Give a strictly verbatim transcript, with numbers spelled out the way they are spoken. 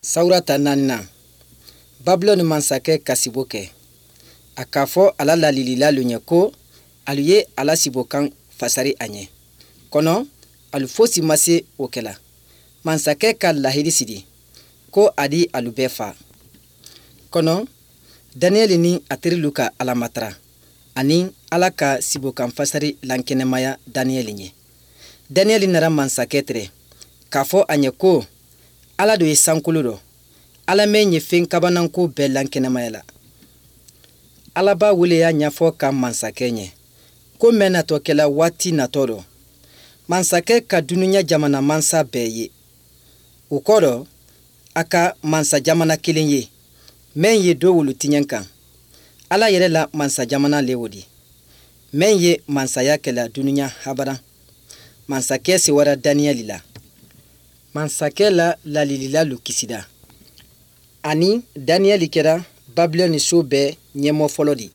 Sawurata naaninan, Babilɔni mansakɛ ka sibo kɛ. A k'a fɔ a la lalililalu ɲɛ ko alu ye a la sibokan fasari a ɲɛ. Kɔnɔ alu fosi ma se o kɛla. Mansakɛ ka lahidi sidi ko a di alu bɛɛ fa. Kɔnɔ Daniyɛli ni a terilu ka Ala matara ani Ala ka sibokan fasari lankɛnɛmaya Daniyɛli ɲɛ. Daniyɛli nara mansakɛ tɛrɛ k'a fɔ a ɲɛ ko Ala do ye sankolo dɔ, Ala mɛn ye fɛn kabananko bɛɛ lankɛnɛmaya la. Ala b'a wele y'a ɲɛfɔ ka mansakɛ ɲɛ ko mɛn natɔ kɛla waati natɔ dɔ. Mansakɛ ka dunuya jamana mansa bɛɛ ye. O kɔ dɔ, a ka mansa jamana kelen ye mɛn ye do wolo tiɲɛ kan. Ala yɛrɛ la mansa jamana le o di, mɛn ye mansaya kɛla dunuya habara. Mansakɛ sewara Daniyɛli la. Mansakɛ la lalililalu kisida. Ani Daniyɛli kɛra Babilɔni so bɛɛ ɲɛmɔgɔ fɔlɔ di.